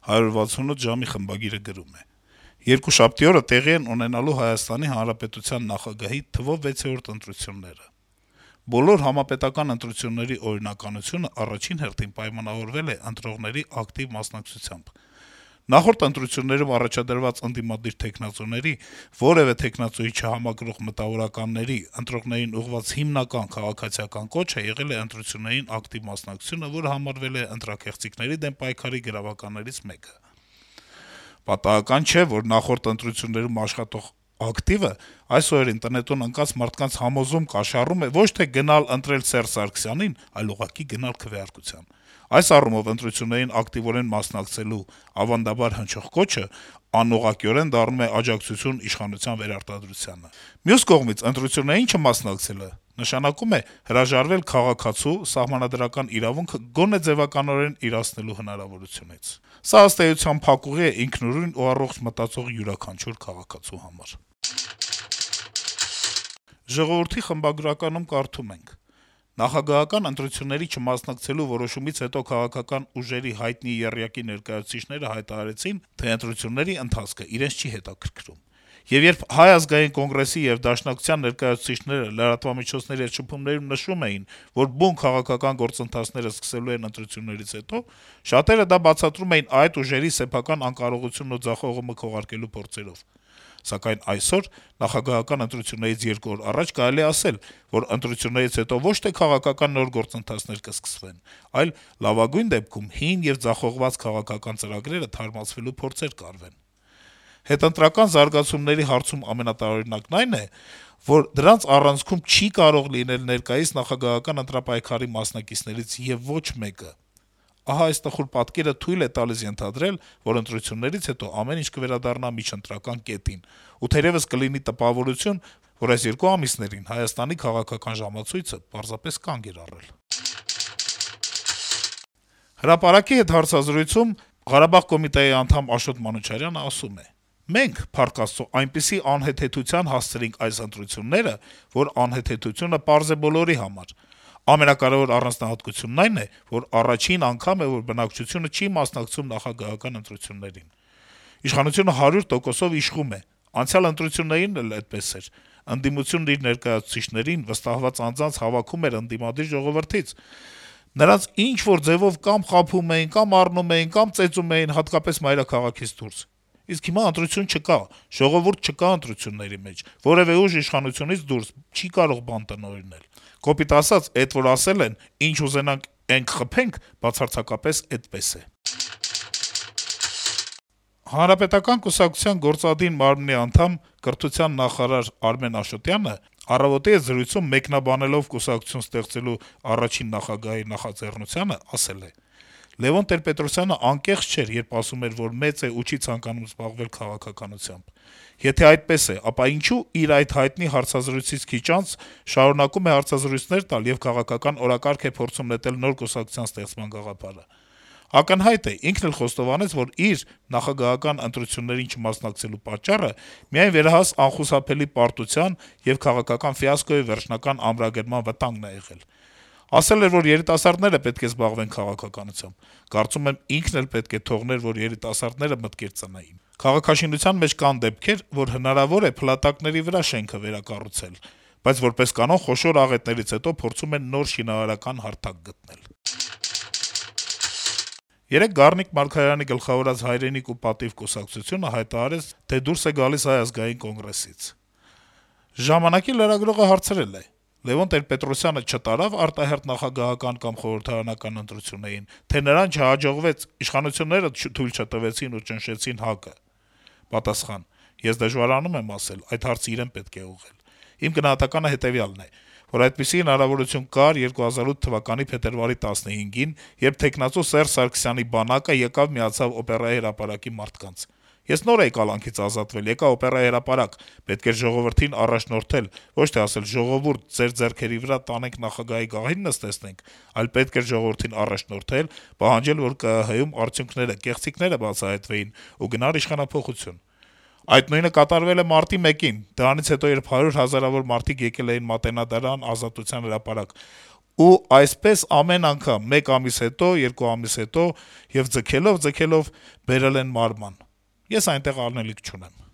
168 ժամի խմբագիրը գրում է. Երկուշաբթի օրը տեղի են ունենալու Հայաստանի Հանրապետության նախագահի թվով 6-րդ ընտրությունները։ Բոլոր համապետական ընտրությունների օրինականությունը առաջին հերթին պայմանավորվել է ընտրողների ակտիվ մասնակցությամբ։ Նախորդ ընտրություններում առաջադրված ընդդիմադիր թեկնածուների, որևէ թեկնածուի չհամակրող մտավորականների, ընտրողներին ուղղված հիմնական քաղաքացիական կոչը եղել է ընտրություններին ակտիվ մասնակցությունը, որը համարվել է ընտրաքեղծիքների դեմ պայքարի գրավականներից մեկը։ Պատահական չէ, որ նախորդ ընտրություններում աշխատող ակտիվը այս օրերին տնետուն ընկած մարդկանց համոզում կաշառում է ոչ թե գնալ ընտրել Սերժ Սարգսյանին, այլ ուղղակի գնալ քվեարկության։ Այս առումով ընտրություններին ակտիվորեն մասնակցելու ավանդաբար հնչող կոչը անուղղակիորեն դառնում է աջակցություն իշխանության վերարտադրությանը։ Մյուս կողմից ընտրություններին չմասնակցելը նշանակում է հրաժարվել քաղաքացու սահմանադրական իրավունքը գոնե ձևականորեն իրացնելու հնարավորությունից։ Սա ըստ էության փակուղի է ինքնուրույն ու առողջ մտածող յուրաքանչյուր քաղաքացու համար։ Ժողովրդի խմբագրականում կարդում ենք. Նախագահական ընտրությունների չմասնակցելու որոշումից հետո քաղաքական ուժերի հայտնի եռյակի ներկայացուցիչները հայտարարեցին, թե ընտրությունների ընթացքը իրենց չի հետաքրքրում։ Եվ երբ Հայ ազգային կոնգրեսի եւ Դաշնակցության ներկայացուցիչները լրատվամիջոցների հետ շփումներում նշում էին, որ բուն քաղաքական գործընթացները սկսելու են ընտրություններից հետո, շատերը դա բացատրում էին այդ ուժերի սեփական անկարողությունն ու ձախողումը քողարկելու փորձերով։ Սակայն այսօր, նախագահական ընտրություններից 2 օր առաջ կարելի է ասել, որ ընտրություններից հետո ոչ թե քաղաքական նոր գործընթացներ կսկսվեն, այլ լավագույն դեպքում հին եւ ձախողված քաղաքական ծրագրերը թարմացվելու փորձեր կարվեն։ Հետընտրական զարգացումների հարցում ամենատարօրինակն այն է, որ դրանց առանցքում չի կարող լինել ներկայիս նախագահական ընտրապայքարի մասնակիցներից եւ ոչ մեկը։ Ահա այս տխուր պատկերը թույլ է տալիս ենթադրել, որ ընտրություններից հետո ամեն ինչ կվերադառնա միջընտրական կետին, ու թերեւս կլինի տպավորություն, որ այս 2 ամիսներին Հայաստանի քաղաքական ժամացույցը պարզապես կանգ էր առել։ Հրապարակի հետ հարցազրույցում Ղարաբաղ կոմիտեի անդամ Աշոտ Մանուչարյանը ասում է. «Մենք, փառք Աստծո, այնպիսի անհեթեթության հասցրինք այս ընտրությունները, որ անհեթեթությունը պարզ է բոլորի համար։ Ամենակարեւոր առանձնահատկությունն այն է, որ առաջին անգամ է, որ բնակչությունը չի մասնակցում նախագահական ընտրություններին։ Իշխանությունը 100%-ով իշխում է։ Անցյալ ընտրություններին էլ այդպես էր։ Ընդդիմությունն իր ներկայացուցիչներին վստահված անձանց հավաքում էր ընդդիմադիր ժողովրդից։ Նրանց ինչ-որ ձևով կամ խաբում էին, կամ առնում էին, կամ ծեծում էին, հատկապես մայրաքաղաքից դուրս։ Իսկ հիմա ընտրություն չկա, ժողովուրդ չկա ընտրությունների մեջ, որևէ ուժ իշխանությունից դուրս չի կարող բան տնօրինել։ Կոպիտ ասած, էդ որ ասել են, ինչ ուզենանք ենք խփենք, բացարձակապես այդպես է»։ Հանրապետական կուսակցության գործադին մարմնի անդամ, կրթության նախարար Արմեն Աշոտյանը «Առավոտ»-ի հետ զրույցում մեկնաբանելով կուսակցություն ստեղծելու առաջին նախագահի նախաձեռնությանը, ասել է. «Լեւոն Տեր-Պետրոսյանը անկեղծ չէր, երբ ասում էր, որ մեծ է ու չի ցանկանում զբաղվել քաղաքականությամբ։ Եթե այդպես է, ապա ինչու իր այդ հայտնի հարցազրույցից քիչ անց շարունակում է հարցազրույցներ տալ եւ քաղաքական օրակարգ է փորձում նետել նոր կուսակցության ստեղծման գաղափարը։ Ակնհայտ է, ինքն էլ խոստովանեց, որ իր նախագահական ընտրություններին չմասնակցելու պատճառը միայն վերահաս անխուսափելի պարտության եւ քաղաքական ֆիասկոյի վերջնական ամրագրման վտանգն է եղել։ Ասել էր, որ երիտասարդները պետք է զբաղվեն քաղաքականությամբ։ Կարծում եմ, ինքն էլ պետք է թողներ, որ երիտասարդները մտքեր ծնեին։ Քաղաքաշինության մեջ կան դեպքեր, որ հնարավոր է փլատակների վրա շենքը վերակառուցել, բայց որպես կանոն խոշոր աղետներից հետո փորձում են նոր շինարարական հարթակ գտնել»։ Երեկ Գառնիկ Մարգարյանի գլխավորած «Հայրենիք ու պատիվ» կուսակցությունը հայտարարեց, թե դուրս է գալիս Հայ ազգային կոնգրեսից։ «Ժամանակ»-ի լրագրողը հարցրել է. - Լեւոն Տեր-Պետրոսյանը չտարավ արտահերթ նախագահական կամ խորհրդարանական ընտրություններին, թե նրան չհաջողվեց, իշխանությունները թույլ չտվեցին ու ճնշեցին ՀԱԿ-ը։ Պատասխան. - Ես դժվարանում եմ ասել, այդ հարցը իրեն պետք է ուղղել։ Իմ գնահատականը հետեւյալն է, որ այդպիսի հնարավորություն կար 2008 թվականի փետրվարի 15-ին, երբ թեկնածու Սերժ Սարգսյանի բանակը եկավ միացավ օպերայի հրապարակի մարդկանց։ Ես նոր էի կալանքից ազատվել, եկա օպերայի հրապարակ, պետք էր ժողովրդին առաջնորդել, ոչ թե ասել ժողովուրդ, ձեր ձեռքերի վրա տանենք նախագահի գահին նստեցնենք, այլ պետք էր ժողովրդին առաջնորդել, պահանջել, որ ԿԸՀ-ում արդյունքները, կեղծիքները բացահայտվեին ու գնար իշխանափոխություն։ Այդ նույնը կատարվել է մարտի 1-ին, դրանից հետո երբ 100 հազարավոր մարդիկ եկել էին Մատենադարան, Ազատության հրապարակ, ու այսպես ամեն անգամ 1 ամիս հետո, 2 ամիս հետո եւ ձգելով բերել են մարման։ Ես այնտեղ անելիք չունեմ»։